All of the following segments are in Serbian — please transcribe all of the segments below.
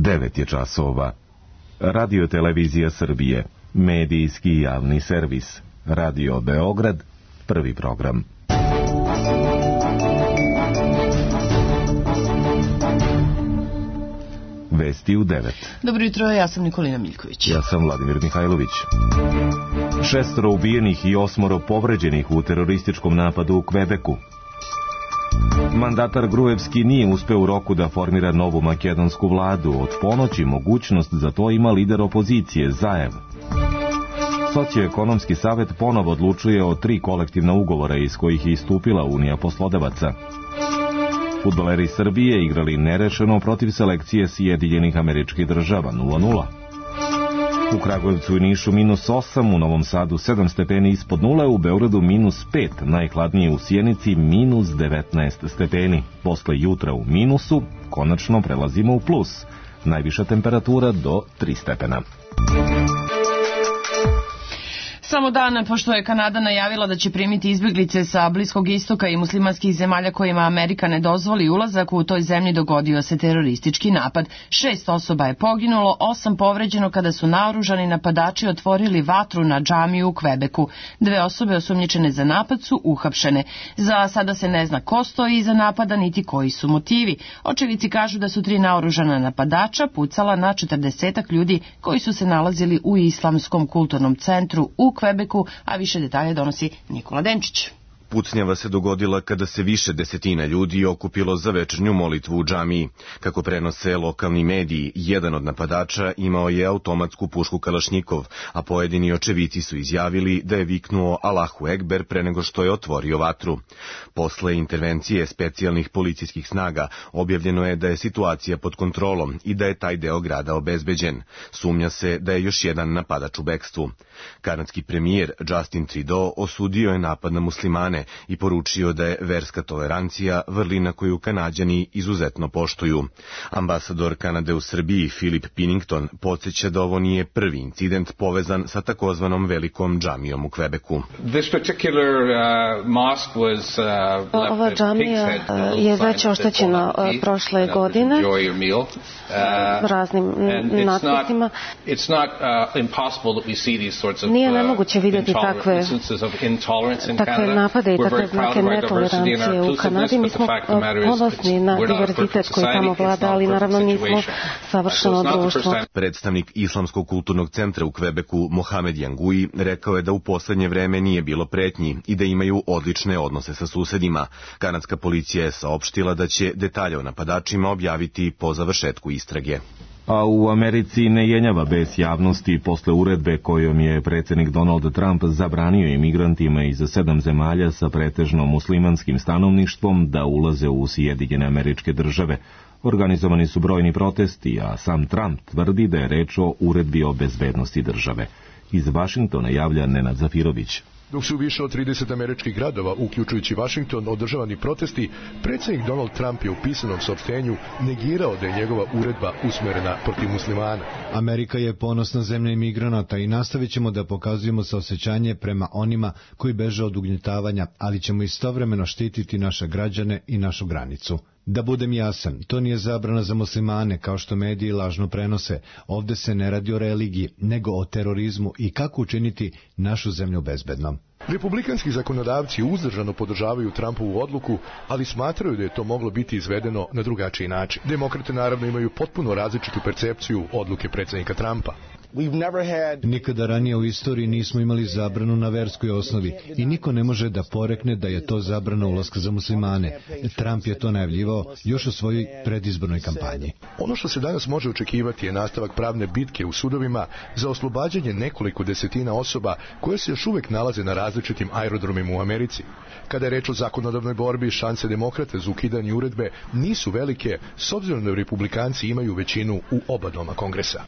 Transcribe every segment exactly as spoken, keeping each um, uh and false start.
devet je časova. Radio Televizija Srbije, medijski javni servis. Radio Beograd, prvi program. Vesti u devet. Dobro jutro, ja sam Nikolina Miljković. Ja sam Vladimir Mihajlović. Šestoro ubijenih i osmoro povređenih u terorističkom napadu u Kvebeku. Mandatar Gruevski nije uspeo u roku da formira novu makedonsku vladu. Od ponoći mogućnost za to ima lider opozicije, Zaev. Socioekonomski savet ponovo odlučuje o tri kolektivna ugovora iz kojih je istupila Unija poslodavaca. Fudbaleri Srbije igrali nerešeno protiv selekcije Sjedinjenih Američkih Država nula nula. U Kragujevcu i Nišu minus osam, u Novom Sadu sedam stepeni ispod nule, u Beogradu minus pet, najhladnije u Sjenici minus devetnaest stepeni. Posle jutra u minusu, konačno prelazimo u plus. Najviša temperatura do tri stepena. Samo dan pošto je Kanada najavila da će primiti izbjeglice sa Bliskog istoka i muslimanskih zemalja kojima Amerika ne dozvoli ulazak, u toj zemlji dogodio se teroristički napad. Šest osoba je poginulo, osam povređeno kada su naoružani napadači otvorili vatru na džamiju u Kvebeku. Dve osobe osumnjičene za napad su uhapšene. Za sada se ne zna ko stoji iza napada niti koji su motivi. Očevici kažu da su tri naoružana napadača pucala na četrdesetak ljudi koji su se nalazili u Islamskom kulturnom centru u Kvebeku, a više detalje donosi Nikola Denčić. Pucnjava se dogodila kada se više desetina ljudi okupilo za večernju molitvu u džamiji. Kako prenose lokalni mediji, jedan od napadača imao je automatsku pušku Kalašnjikov, a pojedini očevici su izjavili da je viknuo Allahu Ekber pre nego što je otvorio vatru. Posle intervencije specijalnih policijskih snaga objavljeno je da je situacija pod kontrolom i da je taj deo grada obezbeđen. Sumnja se da je još jedan napadač u bekstvu. Kanadski premijer Justin Trudeau osudio je napad na muslimane i poručio da je verska tolerancija vrlina koju Kanađani izuzetno poštuju. Ambasador Kanade u Srbiji Philip Pinnington podsjeća da ovo nije prvi incident povezan sa takozvanom velikom džamijom u Kvebeku. Ova džamija je već oštećena prošle godine raznim natpisima. Nije nemoguće vidjeti takve, takve napade i takve znake netolerancije u Kanadi. Mi smo ponosni na diverzitet koji tamo vlada, ali naravno nismo savršeno društvo. Predstavnik Islamskog kulturnog centra u Kvebeku, Mohamed Jangui, rekao je da u poslednje vreme nije bilo pretnji i da imaju odlične odnose sa susedima. Kanadska policija je saopštila da će detalje o napadačima objaviti po završetku istrage. A u Americi ne jenjava bes javnosti posle uredbe kojom je predsjednik Donald Trump zabranio imigrantima iz sedam zemalja sa pretežno muslimanskim stanovništvom da ulaze u Sjedinjene Američke Države. Organizovani su brojni protesti, a sam Trump tvrdi da je reč o uredbi o bezbednosti države. Iz Vašingtona javlja Nenad Zafirović. Dok su više od trideset američkih gradova, uključujući Vašington, održavani protesti, predsjednik Donald Trump je u pisanom saopštenju negirao da je njegova uredba usmerena protiv muslimana. Amerika je ponosna zemlja imigranata i nastavit ćemo da pokazujemo saosećanje prema onima koji beže od ugnjetavanja, ali ćemo istovremeno štititi naše građane i našu granicu. Da budem jasan, to nije zabrana za muslimane, kao što mediji lažno prenose. Ovde se ne radi o religiji, nego o terorizmu i kako učiniti našu zemlju bezbednom. Republikanski zakonodavci uzdržano podržavaju Trumpovu odluku, ali smatraju da je to moglo biti izvedeno na drugačiji način. Demokrate naravno imaju potpuno različitu percepciju odluke predsjednika Trumpa. Nikada ranije u istoriji nismo imali zabranu na verskoj osnovi i niko ne može da porekne da je to zabrana ulaska za muslimane. Trump je to najavljivao još u svojoj predizbornoj kampanji. Ono što se danas može očekivati je nastavak pravne bitke u sudovima za oslobađanje nekoliko desetina osoba koje se još uvek nalaze na različitim aerodromima u Americi. Kada je reč o zakonodavnoj borbi, šanse demokrata za ukidanje uredbe nisu velike, s obzirom da republikanci imaju većinu u oba doma Kongresa.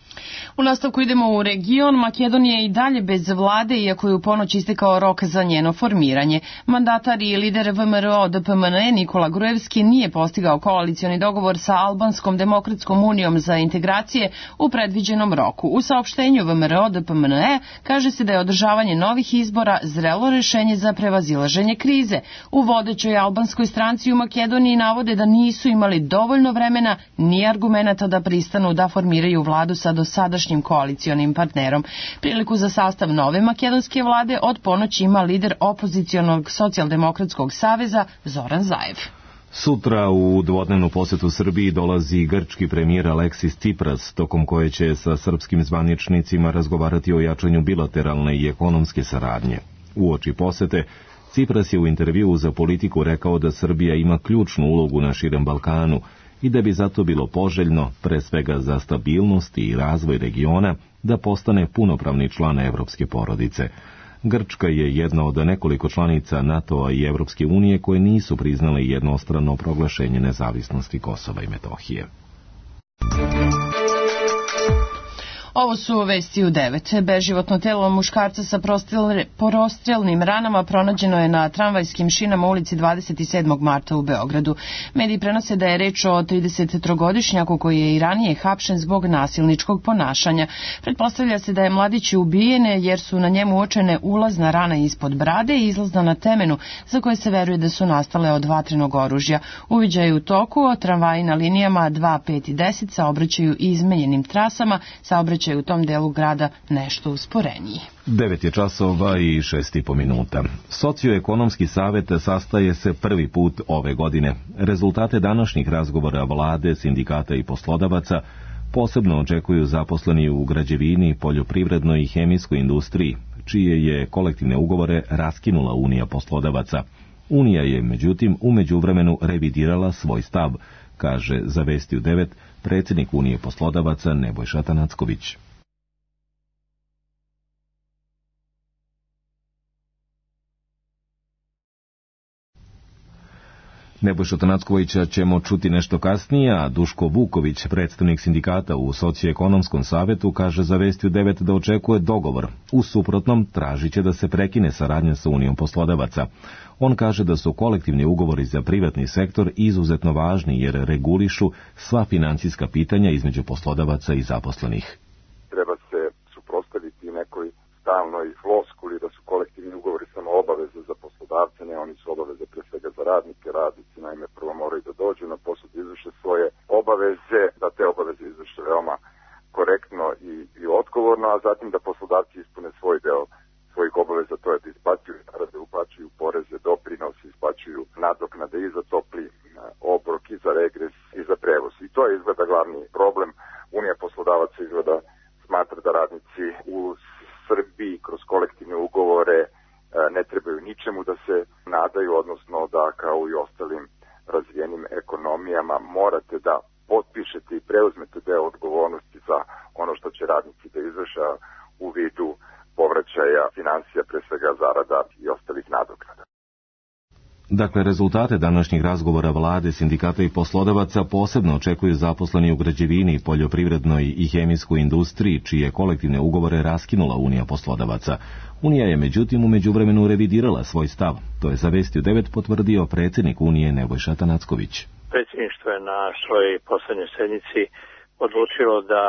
U nastavku idemo idemo u region. Makedonija je i dalje bez vlade, iako je u ponoć istekao rok za njeno formiranje. Mandatar i lider V M R O D P M N E Nikola Gruevski nije postigao koalicioni dogovor sa Albanskom demokratskom unijom za integracije u predviđenom roku. U saopštenju V M R O D P M N E kaže se da je održavanje novih izbora zrelo rešenje za prevazilaženje krize. U vodećoj albanskoj stranci u Makedoniji navode da nisu imali dovoljno vremena ni argumenata da pristanu da formiraju vladu sa dosadašnjim koalicionim partnerom. Priliku za sastav nove makedonske vlade od ponoći ima lider opozicionog socijaldemokratskog saveza Zoran Zaev. Sutra u dvodnevnu posetu Srbiji dolazi grčki premijer Aleksis Tsipras, tokom koje će sa srpskim zvaničnicima razgovarati o jačanju bilateralne i ekonomske saradnje. Uoči posete, Tsipras je u intervjuu za Politiku rekao da Srbija ima ključnu ulogu na širem Balkanu i da bi zato bilo poželjno, pre svega za stabilnost i razvoj regiona, da postane punopravni član evropske porodice. Grčka je jedna od nekoliko članica NATO-a i Evropske unije koje nisu priznale jednostrano proglašenje nezavisnosti Kosova i Metohije. Ovo su vesti u devet. Beživotno telo muškarca sa prostrelnim ranama pronađeno je na tramvajskim šinama u ulici dvadeset sedmog marta u Beogradu. Mediji prenose da je reč o tridesettrogodišnjaku koji je i ranije hapšen zbog nasilničkog ponašanja. Pretpostavlja se da je mladić ubijen jer su na njemu uočene ulazna rana ispod brade i izlazna na temenu za koje se veruje da su nastale od vatrenog oružja. Uviđaj u toku, tramvaji na linijama dva, pet i deset saobraćaju izmenjenim trasama, saobraćaju u tom delu grada nešto usporeniji. Devet je časova i šest i po minuta. Socioekonomski savet sastaje se prvi put ove godine. Rezultate današnjih razgovora vlade, sindikata i poslodavaca posebno očekuju zaposleni u građevini, poljoprivrednoj i hemijskoj industriji, čije je kolektivne ugovore raskinula Unija poslodavaca. Unija je, međutim, u međuvremenu revidirala svoj stav, kaže za Vesti u devet predsjednik Unije poslodavaca Nebojša Tanacković. Nebojša Tanackovića ćemo čuti nešto kasnije, a Duško Vuković, predstavnik sindikata u Socioekonomskom savetu, kaže za Vesti u devet da očekuje dogovor. U suprotnom, tražit će da se prekine saradnja sa Unijom poslodavaca. On kaže da su kolektivni ugovori za privatni sektor izuzetno važni jer regulišu sva financijska pitanja između poslodavaca i zaposlenih. Treba se suprotstaviti nekoj stalnoj floskuli da su kolektivni ugovori samo obaveze za poslodavce, ne, oni su obaveze pre svega za radnike. Radnici naime prvo moraju da dođu na posao, da izvrše svoje obaveze, da te obaveze izvrše veoma korektno i, i odgovorno, a zatim da poslodavci ispune svoj deo svojih obaveza, to je da isplaćuju zarade, uplaćuju poreze, doprinose, isplaćuju nadoknade i za topli obrok, i za regres, i za prevoz. I to je izgleda glavni problem. Unija poslodavaca izgleda smatra da radnici u Srbiji kroz kolektivne ugovore ne trebaju ničemu da se nadaju, odnosno da kao i ostalim razvijenim ekonomijama morate da potpišete i preuzmete deo odgovornosti za ono što će radnici da izvrše u vidu povraćaja financija, pre svega zarada i ostalih nadoknada. Dakle, rezultate današnjih razgovora vlade, sindikata i poslodavaca posebno očekuju zaposleni u građevini, poljoprivrednoj i hemijskoj industriji, čije kolektivne ugovore raskinula Unija poslodavaca. Unija je međutim u međuvremenu revidirala svoj stav. To je za Vesti u devet potvrdio predsjednik Unije Nebojša Tanacković. Predsjedništvo je na svojoj poslednjoj sednici odlučilo da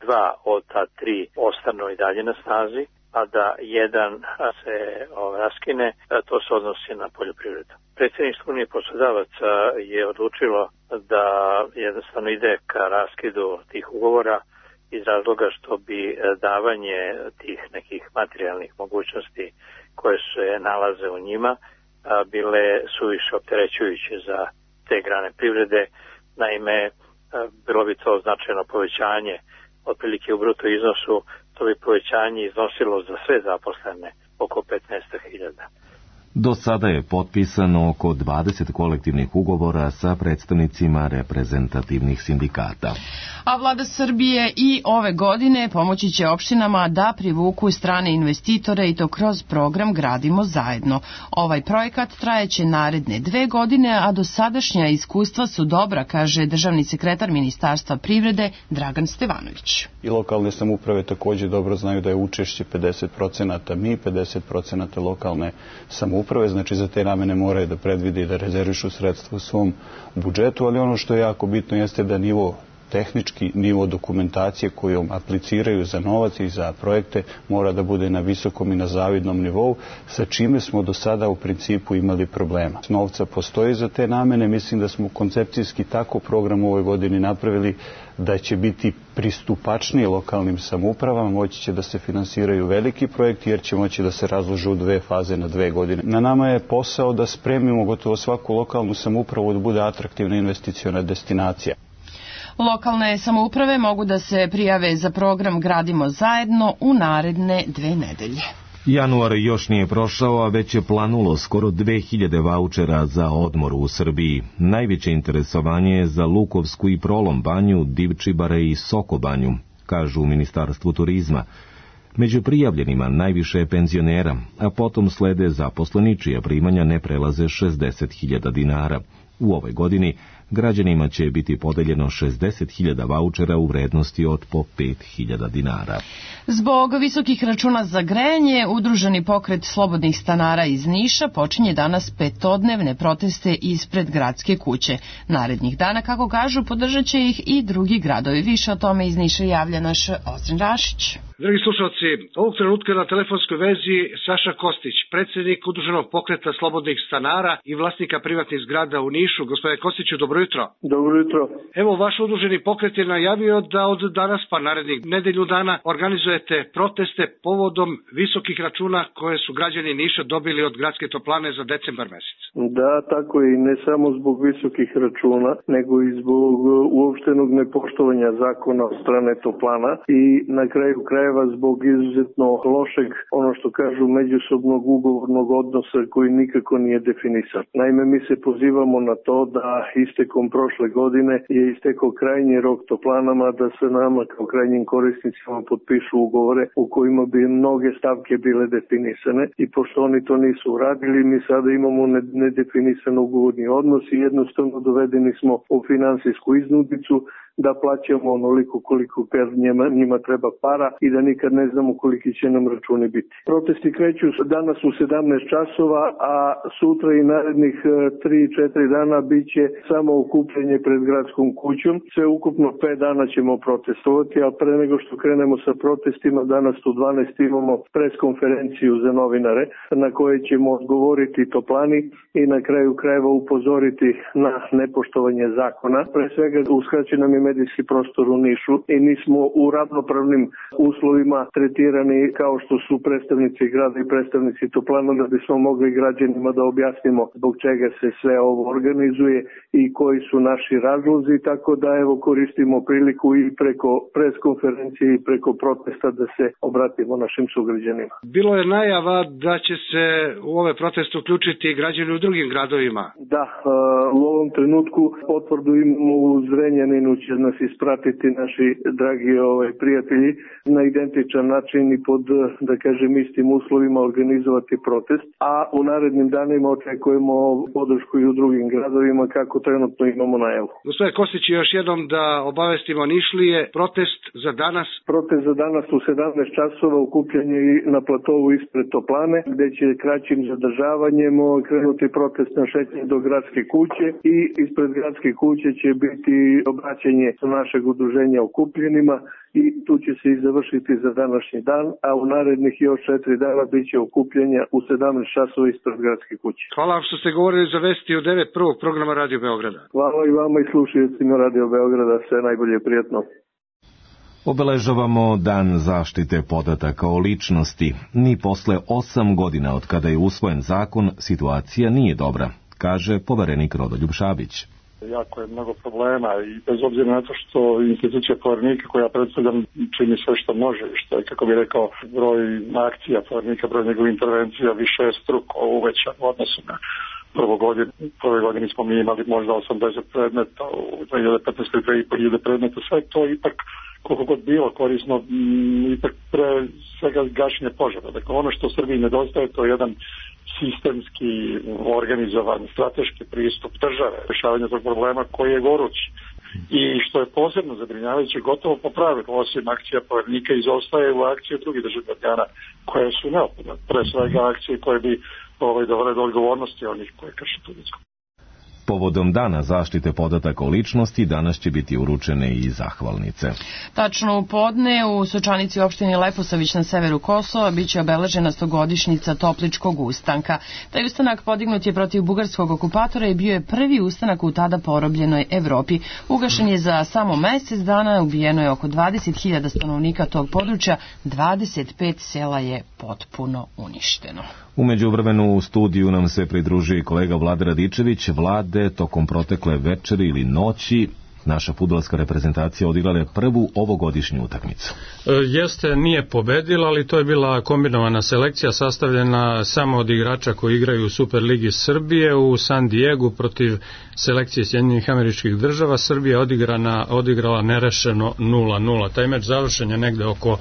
dva od ta tri ostanu i dalje na snazi, a da jedan se raskine, to se odnosi na poljoprivredu. Predsjedništvo Unije poslodavaca je odlučilo da jednostavno ide ka raskidu tih ugovora iz razloga što bi davanje tih nekih materijalnih mogućnosti koje se nalaze u njima bile suviše opterećujuće za te grane privrede. Naime, bilo bi to značajno povećanje otprilike u bruto iznosu, to bi povećanje iznosilo za sve zaposlene oko petnaest hiljada. Do sada je potpisano oko dvadeset kolektivnih ugovora sa predstavnicima reprezentativnih sindikata. A vlada Srbije i ove godine pomoći će opštinama da privuku strane investitore i to kroz program Gradimo zajedno. Ovaj projekat trajeće naredne dve godine, a dosadašnja iskustva su dobra, kaže državni sekretar Ministarstva privrede Dragan Stevanović. I lokalne samouprave također dobro znaju da je učešće pedeset procenata mi, pedeset procenata lokalne samouprave, znači za te namene moraju da predvide i da rezervišu sredstva u svom budžetu, ali ono što je jako bitno jeste da nivo tehnički nivo dokumentacije kojom apliciraju za novac i za projekte mora da bude na visokom i na zavidnom nivou, sa čime smo do sada u principu imali problema. Novca postoji za te namene, mislim da smo koncepcijski tako program u ovoj godini napravili da će biti pristupačniji lokalnim samoupravama, moći će da se finansiraju veliki projekti jer će moći da se razlože u dve faze na dve godine. Na nama je posao da spremimo gotovo svaku lokalnu samoupravu da bude atraktivna investiciona destinacija. Lokalne samouprave mogu da se prijave za program Gradimo zajedno u naredne dve nedelje. Januar još nije prošao, a već je planulo skoro dve hiljade vaučera za odmor u Srbiji. Najveće interesovanje je za Lukovsku i Prolom banju, Divčibare i Soko banju, kažu u Ministarstvu turizma. Među prijavljenima najviše je penzionera, a potom slede zaposleni čija primanja ne prelaze šezdeset hiljada dinara. U ovoj godini građanima će biti podeljeno šezdeset hiljada vaučera u vrednosti od po pet hiljada dinara. Zbog visokih računa za grejanje, Udruženi pokret slobodnih stanara iz Niša počinje danas petodnevne proteste ispred gradske kuće. Narednih dana, kako kažu, podržat će ih i drugi gradovi. Više o tome iz Niša javlja naš Ozren Rašić. Dragi slušalci, ovog trenutka na telefonskoj vezi Saša Kostić, predsjednik Udruženog pokreta slobodnih stanara i vlasnika privatnih zgrada u Nišu. Gospodine Kostiću, dobro jutro. Dobro jutro. Evo, vaš udruženi pokret je najavio da od danas pa narednih nedelju dana organizujete proteste povodom visokih računa koje su građani Niša dobili od gradske toplane za decembar mesec. Da, tako je, i ne samo zbog visokih računa, nego i zbog uopštenog nepoštovanja zakona od strane toplana i na kraju krajeva zbog izuzetno lošeg, ono što kažu, međusobnog ugovornog odnosa koji nikako nije definisan. Naime, mi se pozivamo na to da istekom prošle godine je istekao krajnji rok toplanama da se nama kao krajnjim korisnicima potpišu ugovore u kojima bi mnoge stavke bile definisane i pošto oni to nisu uradili, mi sada imamo nedefinisan ugovorni odnos i jednostavno dovedeni smo u finansijsku iznudicu da plaćamo onoliko koliko njima, njima treba para i da nikad ne znamo koliki će nam računi biti. Protesti kreću danas u sedamnaest časova, a sutra i narednih tri četiri dana bit će samo okupljanje pred gradskom kućom. Sve ukupno pet dana ćemo protestovati, a pre nego što krenemo sa protestima, danas u dvanaest imamo preskonferenciju za novinare na kojoj ćemo odgovoriti toplani i na kraju krajeva upozoriti na nepoštovanje zakona. Pre svega uskraćen nam je medijski prostor u Nišu i nismo u ravnopravnim uslovima tretirani kao što su predstavnici grada i predstavnici toplana, da bismo mogli građanima da objasnimo zbog čega se sve ovo organizuje i koji su naši razlozi, tako da evo koristimo priliku i preko preskonferencije i preko protesta da se obratimo našim sugrađanima. Bilo je najava da će se u ove proteste uključiti građani u drugim gradovima. Da, u ovom trenutku potvrdu imamo u Zrenjaninu, će nas ispratiti naši dragi ovaj, prijatelji na identičan način i pod, da kažem, istim uslovima organizovati protest, a u narednim danima očekujemo podršku i u drugim gradovima kako trenutno imamo najavu. Gospodine Kostić, još jednom da obavestimo Nišlije, protest za danas? Protest za danas u sedamnaest časova, okupljanje na platovu ispred toplane, gde će kraćim zadržavanjem krenuti protest na šetnje do gradske kuće i ispred gradske kuće će biti obraćanje našeg udruženja okupljenima i tu će se i završiti za današnji dan, a u narednih još četiri dana bit će okupljenja u sedamnaest časova ispred gradske kuće. Hvala vam što ste govorili za vesti u devet prvog programa Radio Beograda. Hvala i vama i slušajcima Radio Beograda, sve najbolje, prijatno. Obeležavamo Dan zaštite podataka o ličnosti. Ni posle osam godina od kada je usvojen zakon, situacija nije dobra, kaže poverenik Rodoljub Šabić. Jako je mnogo problema i bez obzira na to što institucija povernika koja predstavljam čini sve što može i što je, kako bih rekao, broj akcija povernika, broj njegovih intervencija više je struko uvećan u odnosu na prvo godine. Prve godine smo mi imali možda osamdeset predmeta, u dve hiljade petnaeste. dve hiljade predmeta, sve to ipak koliko god bilo korisno, ipak pre svega gašenje požara. Dakle, ono što u Srbiji nedostaje, to je jedan sistemski organizovan strateški pristup države rješavanja tog problema koji je gorući. I što je posebno zabrinjavajuće, gotovo po pravilu, osim akcija povernika, izostaje u akcije drugih državnih organa koje su neophodne. Pre svega akcije koje bi ovaj, dovele do odgovornosti onih koje krše tu ljudsku. Povodom Dana zaštite podataka o ličnosti danas će biti uručene i zahvalnice. Tačno u podne u Sočanici opštini Leposavić na severu Kosova biće obeležena stogodišnjica Topličkog ustanka. Taj ustanak podignut je protiv bugarskog okupatora i bio je prvi ustanak u tada porobljenoj Evropi. Ugašen je za samo mesec dana, ubijeno je oko dvadeset hiljada stanovnika tog područja, dvadeset pet sela je potpuno uništeno. U međuvremenu u studiju nam se pridružuje kolega Vlada Radičević. Vlade, tokom protekle večeri ili noći naša fudbalska reprezentacija odigrala je prvu ovogodišnju utakmicu. E, jeste, nije pobedila, ali to je bila kombinovana selekcija sastavljena samo od igrača koji igraju u Superligi Srbije u San Diegu protiv selekcije Sjedinjenih Američkih Država. Srbija odigrana, odigrala nerešeno nula nula. Taj meč završen je negde oko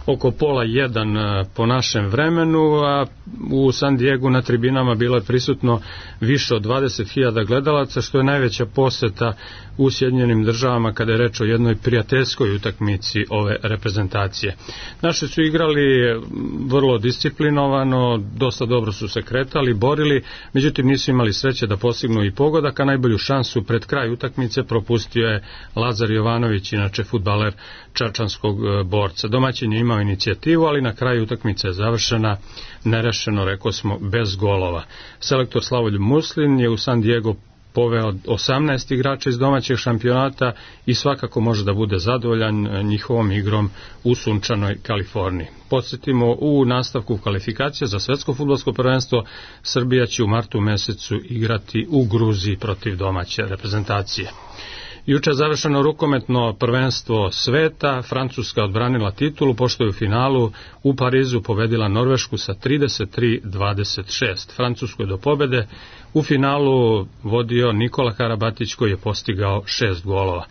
oko pola jedan po našem vremenu, a u San Diegu na tribinama bilo je prisutno više od dvadeset hiljada gledalaca, što je najveća poseta u Sjedinjenim Državama kada je reč o jednoj prijateljskoj utakmici ove reprezentacije. Naši su igrali vrlo disciplinovano, dosta dobro su se kretali, borili, međutim nisu imali sreće da postignu i pogodak, a najbolju šansu pred kraj utakmice propustio je Lazar Jovanović, inače fudbaler čačanskog borca. Domaćin je imao inicijativu, ali na kraju utakmice je završena nerešeno, rekao smo, bez golova. Selektor Slavoljub Muslin je u San Diego poveo osamnaest igrača iz domaćeg šampionata i svakako može da bude zadovoljan njihovom igrom u sunčanoj Kaliforniji. Podsjetimo, u nastavku kvalifikacije za svetsko fudbalsko prvenstvo Srbija će u martu mesecu igrati u Gruziji protiv domaće reprezentacije. Juče je završeno rukometno prvenstvo sveta, Francuska odbranila titulu, pošto je u finalu u Parizu pobedila Norvešku sa trideset tri dvadeset šest. Francusku je do pobede u finalu vodio Nikola Karabatić koji je postigao šest golova.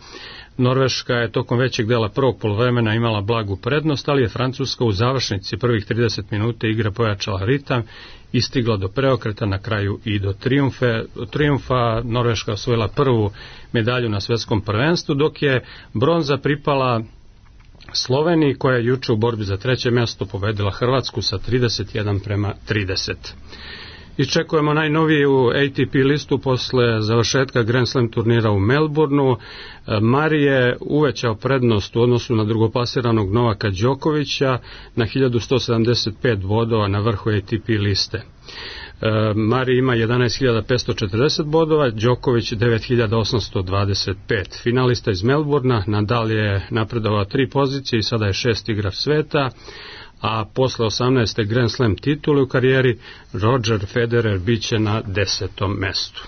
Norveška je tokom većeg dela prvog poluvremena imala blagu prednost, ali je Francuska u završnici prvih trideset minuta igre pojačala ritam i stigla do preokreta, na kraju i do trijumfe. trijumfa. Norveška osvojila prvu medalju na svetskom prvenstvu, dok je bronza pripala Sloveniji, koja je juče u borbi za treće mjesto pobedila Hrvatsku sa trideset jedan prema trideset. Iščekujemo najnoviju A T P listu posle završetka Grand Slam turnira u Melbourneu. Mari je uvećao prednost u odnosu na drugoplasiranog Novaka Đokovića na hiljadu sto sedamdeset pet bodova na vrhu A T P liste. Mari ima jedanaest hiljada petsto četrdeset bodova, Đoković devet hiljada osamsto dvadeset pet. Finalista iz Melbournea, Nadal je napredovao tri pozicije i sada je šest igrač sveta, a posle osamnaeste Grand Slam titule u karijeri Roger Federer biće na desetom mestu.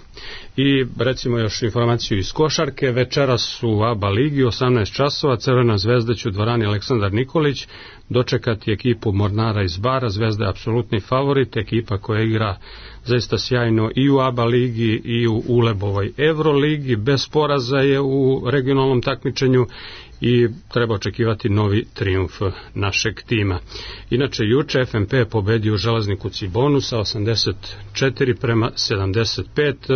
I recimo još informaciju iz košarke, večeras u A B A ligi osamnaest časova Crvena zvezda će u dvorani Aleksandar Nikolić dočekati ekipu Mornara iz Bara. Zvezda je apsolutni favorit, ekipa koja igra zaista sjajno i u A B A ligi i u Ulebovoj Euroligi, bez poraza je u regionalnom takmičenju i treba očekivati novi trijumf našeg tima. Inače, juče F M P je pobedio Železniku Cibonu sa osamdeset četiri prema sedamdeset pet,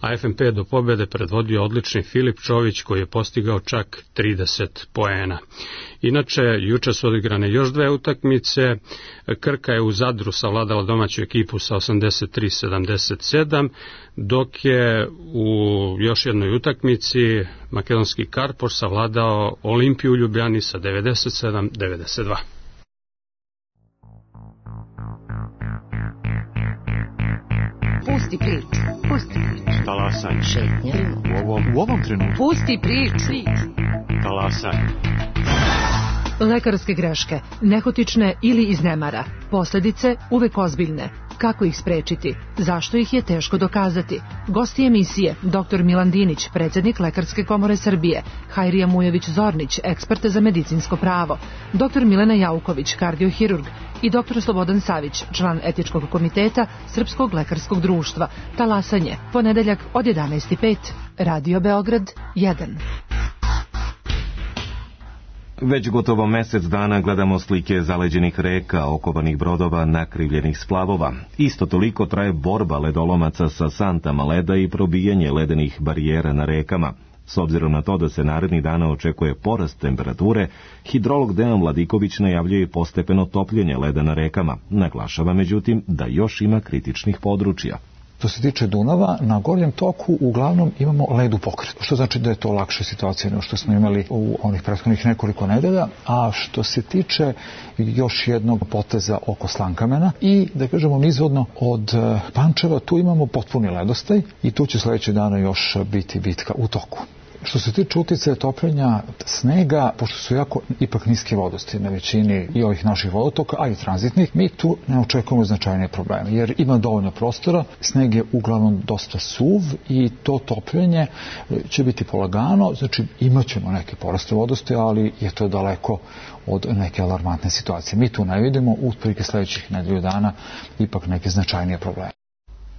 a F M P do pobede predvodio odlični Filip Čović koji je postigao čak trideset poena. Inače, juče su odigrane još dve utakmice. Krka je u Zadru savladala domaću ekipu sa osamdeset tri sedamdeset sedam, dok je u još jednoj utakmici makedonski Karpoš savladao Olimpiju u Ljubljani sa devedeset sedam devedeset dva. Pusti priču, pusti priču. Talasaj. Šetnja. U ovom, u ovom trenutku. Pusti priču. Talasaj. Lekarske greške, nehotične ili iz nemara. Posljedice uvek ozbiljne. Kako ih sprečiti? Zašto ih je teško dokazati? Gosti emisije doktor Milan Dinić, predsjednik Lekarske komore Srbije, Hajrija Mujović-Zornić, eksperta za medicinsko pravo, doktor Milena Jauković, kardiohirurg i doktor Slobodan Savić, član etičkog komiteta Srpskog lekarskog društva. Talasanje, ponedeljak od jedanaest i pet. Radio Beograd jedan. Već gotovo mesec dana gledamo slike zaleđenih reka, okovanih brodova, nakrivljenih splavova. Isto toliko traje borba ledolomaca sa santama leda i probijanje ledenih barijera na rekama. S obzirom na to da se narednih dana očekuje porast temperature, hidrolog Dejan Vladiković najavljuje postepeno topljenje leda na rekama. Naglašava međutim da još ima kritičnih područja. Što se tiče Dunava, na gornjem toku uglavnom imamo led u pokretu, što znači da je to lakša situacija nego što smo imali u onih prethodnih nekoliko nedelja, a što se tiče još jednog poteza oko Slankamena i, da kažemo, nizvodno od Pančeva, tu imamo potpuni ledostaj i tu će sledeće dana još biti bitka u toku. Što se tiče uticaja topljenja snega, pošto su jako ipak niske vodosti na većini i ovih naših vodotoka, a i tranzitnih, mi tu ne očekujemo značajne probleme, jer ima dovoljno prostora, sneg je uglavnom dosta suv i to topljenje će biti polagano, znači imat ćemo neke poraste vodosti, ali je to daleko od neke alarmantne situacije. Mi tu ne vidimo, otprilike sledećih nedelju dana, ipak neke značajnije probleme.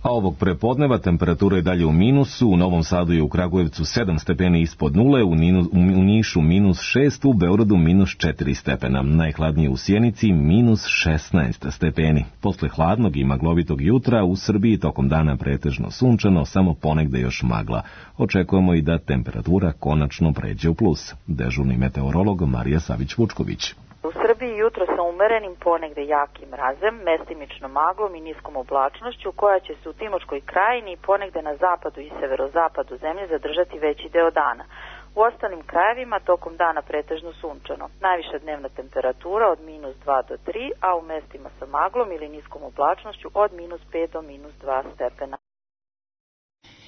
A ovog prepodneva temperatura je dalje u minusu, u Novom Sadu i u Kragujevcu sedam stepeni ispod nule, u, Ninu, u Nišu minus šest, u Beogradu minus četiri stepena, najhladnije u Sjenici minus šesnaest stepeni. Posle hladnog i maglovitog jutra u Srbiji tokom dana pretežno sunčano, samo ponegde još magla. Očekujemo i da temperatura konačno pređe u plus. Dežurni meteorolog Marija Savić-Vučković. U Srbiji jutro sa umerenim, ponegde jakim mrazem, mestimično maglom i niskom oblačnošću koja će se u Timočkoj krajini i ponegde na zapadu i severozapadu zemlje zadržati veći deo dana. U ostalim krajevima tokom dana pretežno sunčano. Najviša dnevna temperatura od minus dva do tri, a u mestima sa maglom ili niskom oblačnošću od minus pet do minus dva stepena.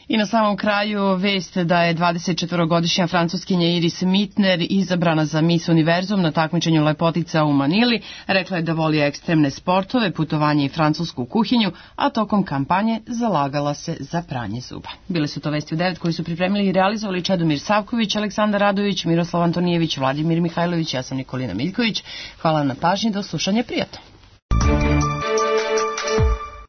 I na samom kraju vest da je dvadesetčetvorogodišnja francuskinja Iris Mitner izabrana za Miss Univerzum na takmičenju lepotica u Manili. Rekla je da voli ekstremne sportove, putovanje i francusku kuhinju, a tokom kampanje zalagala se za pranje zuba. Bile su to vesti u devet koji su pripremili i realizovali Čedomir Savković, Aleksandar Radović, Miroslav Antonijević, Vladimir Mihajlović, ja sam Nikolina Miljković. Hvala na pažnji, do slušanja, prijatno.